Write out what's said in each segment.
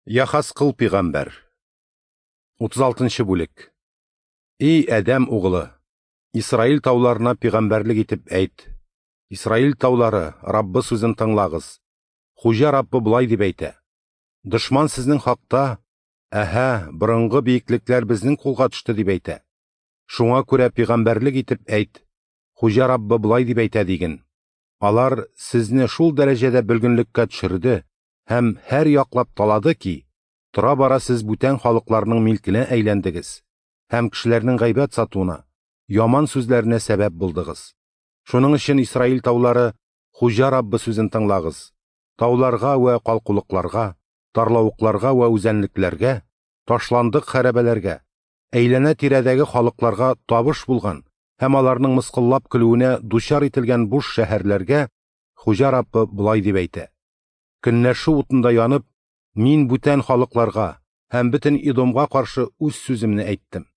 Яхаскыл пигамбәр. 36 бүлек. И Адәм угылы, Исраил тауларына пигамбәрлек итеп әйт. Исраил таулары, Раббы сүзен тыңлагыз. Хуҗа Раббы болай дип әйтә: Дошман сезнең хакта: "Әһә, борынгы биеклекләр безнең кулга төште", дип әйтә. Шуңа күрә пигамбәрлек итеп әйт. Хуҗа Раббы болай дип әйтә диген: Алар сезне шул дәрәҗәдә бөлгенлеккә төшерде һәм һәр яклап талады ки, тора-бара сез бүтән халыкларның милкенә әйләндегез һәм кешеләрнең гайбәт сатуына, яман сүзләренә сәбәп булдыгыз. Шуның өчен Исраил таулары, Хуҗа Раббы сүзен тыңлагыз. Тауларга вә калкулыкларга, тарлавыкларга вә үзәнлекләргә, ташландык хәрабәләргә, әйләнә-тирәдәге халыкларга табыш булган һәм аларның мыскыллап көлүенә дучар ителгән буш шәһәрләргә Хуҗа Раббы болай дип әйтә: Көнләшү утында янып, мин бүтән халыкларга һәм бөтен Идомга каршы үз сүземне әйттем.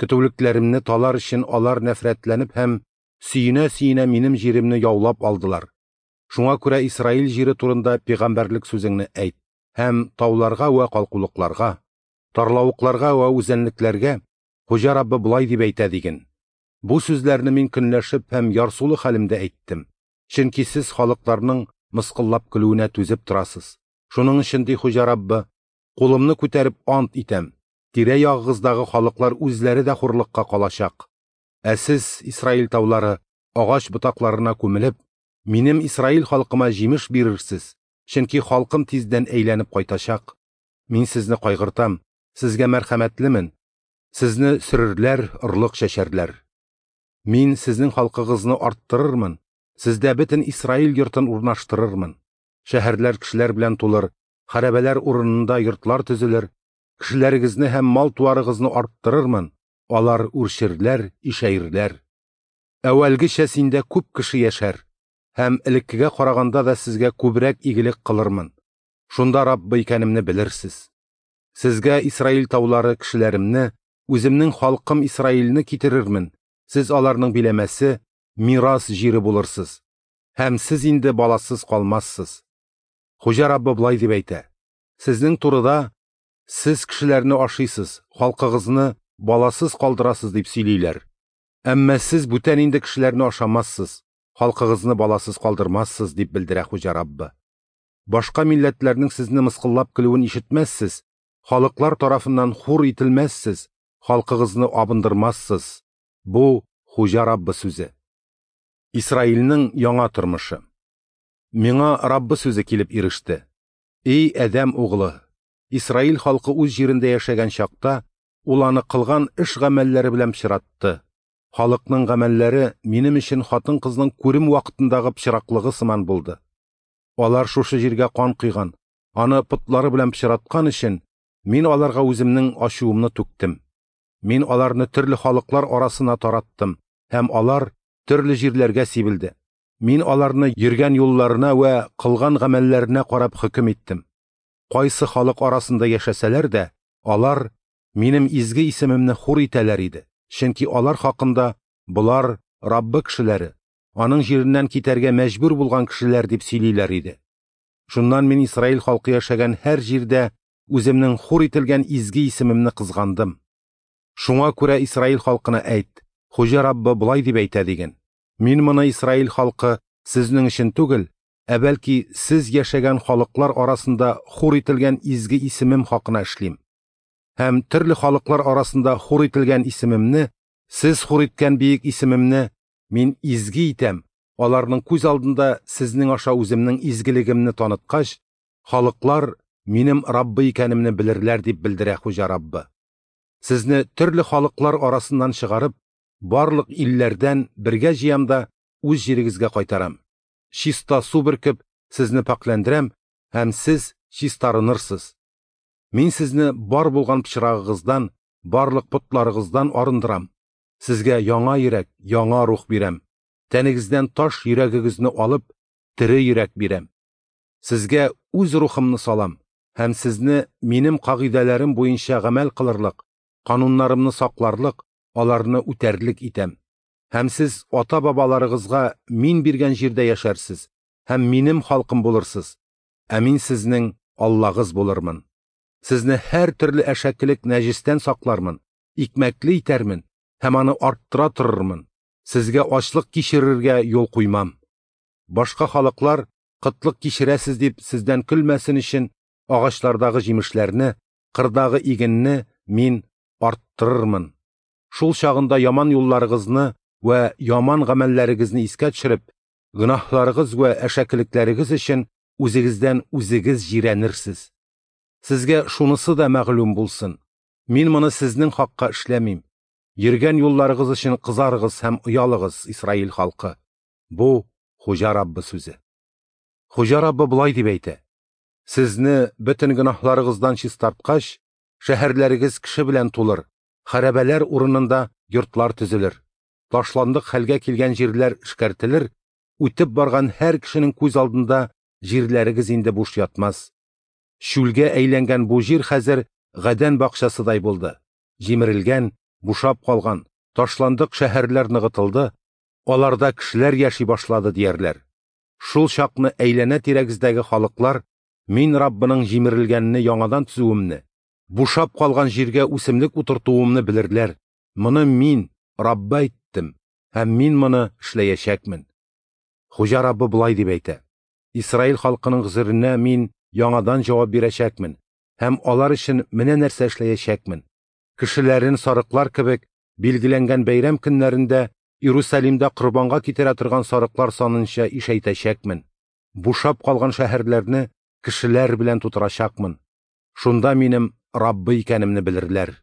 Көтүлекләремне талар өчен алар нәфрәтләнеп һәм сөенә-сөенә минем җиремне яулап алдылар. Шуңа күрә Исраил җире турында пигамбәрлек сүзеңне әйт һәм тауларга вә калкулыкларга, тарлавыкларга вә үзәнлекләргә Хуҗа Раббы болай дип әйтә диген: Бу сүзләрне мин көнләшеп һәм ярсулы хәлемдә әйттем. Чөнки сез халыкларның мыскыллап көлүенә түзеп торасыз. Шуның өчен, ди Хуҗа Раббы, кулымны күтәреп ант итәм, тирә-ягыгыздагы халыклар үзләре дә хурлыкка калачак. Ә сез, Исраил таулары, агач ботакларына күмелеп, минем Исраил халкыма җимеш бирерсез, чөнки халкым тиздән әйләнеп кайтачак. Мин сезне кайгыртам, сезгә мәрхәмәтлемен. Сезне сөрерләр, орлык чәчәрләр. Мин сезнең халкыгызны арттырырмын, сездә бөтен Исраил йортын урнаштырырмын. Шәһәрләр кешеләр белән тулыр, хәрабәләр урынында йортлар төзелер, кешеләрегезне һәм мал-туарыгызны арттырырмын, алар үрчерләр, ишәерләр. Әүвәлгечә синдә күп кеше яшәр, һәм элеккегә караганда да сезгә күбрәк игелек кылырмын. Шунда Раббы икәнемне белерсез. Сезгә Исраил таулары кешеләремне, үземнең халкым Исраилне китерермен. Сез аларның биләмәсе, мирас җире булырсыз. Һәм сез инде баласыз калмассыз. Хуҗа Раббы болай дип әйтә: Сезнең турыда сез кешеләрне ашыйсыз, халкыгызны баласыз калдырасыз дип сөйлиләр. Әмма сез бүтән инде кешеләрне ашамассыз, халкыгызны баласыз калдырмассыз, дип белдерә Хуҗа Раббы. Башка милләтләрнең сезне мыскыллап көлүен ишетмәссез, халыклар тарафыннан хур ителмәссез, халкыгызны абындырмассыз. Бу Хуҗа Раббы сүзе. Исраилнең яңа тормышы. Миңа Раббы сүзе килеп иреште. Эй, Адәм углы, Исраил халкы үз җирендә яшәгән чакта, ул аны кылган эш гамәлләре белән пычратты. Халыкның гамәлләре минем өчен хатын-кызның күрем вакытындагы пычраклыгы сыман булды. Алар шушы җиргә кан койган, аны потлары белән пычраткан өчен, мин аларга үземнең ачуымны түктем. Мин аларны төрле халыклар арасына тараттым, һәм алар төрле җирләргә сибелде. Мин аларны йөргән юлларына вә кылган гамәлләренә карап хөкем иттем. Кайсы халык арасында яшәсәләр дә, алар минем изге исемемне хур итәләр иде. Чөнки алар хакында болар Раббы кешеләре, аның җиреннән китәргә мәҗбүр булган кешеләр дип сөйлиләр иде. Шуннан мин Исраил халкы яшәгән һәр җирдә үземнең хур ителгән изге исемемне кызгандым. Шуңа күрә Исраил халкына әйт: Хуҗа Раббы болай дип әйтә диген: Мин моны Исраил халкы сезнең өчен түгел, ә бәлки сез яшәгән халыклар арасында хур ителгән изге исемем хакына эшлим. Һәм төрле халыклар арасында хур ителгән исемемне, сез хур иткән биек исемемне мин изге итәм. Аларның күз алдында сезнең аша үземнең изгелегемне таныткач, халыклар минем Раббы икәнемне белерләр, дип белдерә Хуҗа Раббы. Сезне төрле халыклар арасыннан чыгарып, барлык илләрдән бергә җыям да үз җирегезгә кайтарам. Чиста су бөркеп, сезне пакьләндерәм, һәм сез чистарынырсыз. Мин сезне бар булган пычрагыгыздан, барлык потларыгыздан арындырам. Сезгә яңа йөрәк, яңа рух бирәм. Тәнегездән таш йөрәгегезне алып, тере йөрәк бирәм. Сезгә үз рухымны салам һәм сезне минем кагыйдәләрем буенча гамәл кылырлык, кануннарымны сакларлык, аларны үтәрлек итәм. Һәм сез ата-бабаларыгызга мин биргән җирдә яшәрсез, һәм минем халкым булырсыз, ә мин сезнең Аллагыз булырмын. Сезне һәртөрле әшәкелек нәҗестән саклармын, икмәкле итәрмен һәм аны арттыра торырмын. Сезгә ачлык кичерергә юл куймам. Башка халыклар, кытлык кичерәсез дип, сездән көлмәсен өчен, агачлардагы җимешләрне, кырдагы игенне Мин арттырырмын. Шул чагында яман юлларыгызны вә яман гамәлләрегезне искә төшереп, гөнаһларыгыз вә әшәкелекләрегез өчен үзегездән үзегез җирәнерсез. Сезгә шунысы да мәгълүм булсын: Мин моны сезнең хакка эшләмим. Йөргән юлларыгыз өчен кызарыгыз һәм оялыгыз, Исраил халкы. Бу Хуҗа Раббы сүзе. Хуҗа Раббы болай дип әйтә: Сезне бөтен гөнаһларыгыздан чистарткач, шәһәрләрегез кеше белән тулыр, хәрабәләр урынында йортлар төзелер, ташландык хәлгә килгән җирләр эшкәртелер, үтеп барган һәр кешенең күз алдында җирләрегез инде буш ятмас. Чүлгә әйләнгән бу җир хәзер Гадән бакчасыдай булды. Җимерелгән, бушап калган, ташландык шәһәрләр ныгытылды, аларда кешеләр яши башлады диярләр. Шул чакны әйләнә-тирәгездәге халыклар Мин Раббының җимерелгәнне яңадан төзүемне, бушап калган җиргә үсемлек утыртуымны белерләр. Моны Мин, Раббы әйттем, һәм Мин моны эшләячәкмен. Хуҗа Раббы болай дип әйтә: Исраил халкының гозеренә Мин яңадан җавап бирәчәкмен һәм алар өчен менә нәрсә эшләячәкмен. Кешеләрен сарыклар кебек билгеләнгән бәйрәм көннәрендә Иерусалимда корбанга китерә торган сарыклар санынча ишәйтәчәкмен. Бушап калган шәһәрләрне кешеләр белән тутырачакмын. Шунда минем Раббы икәнемне белерләр.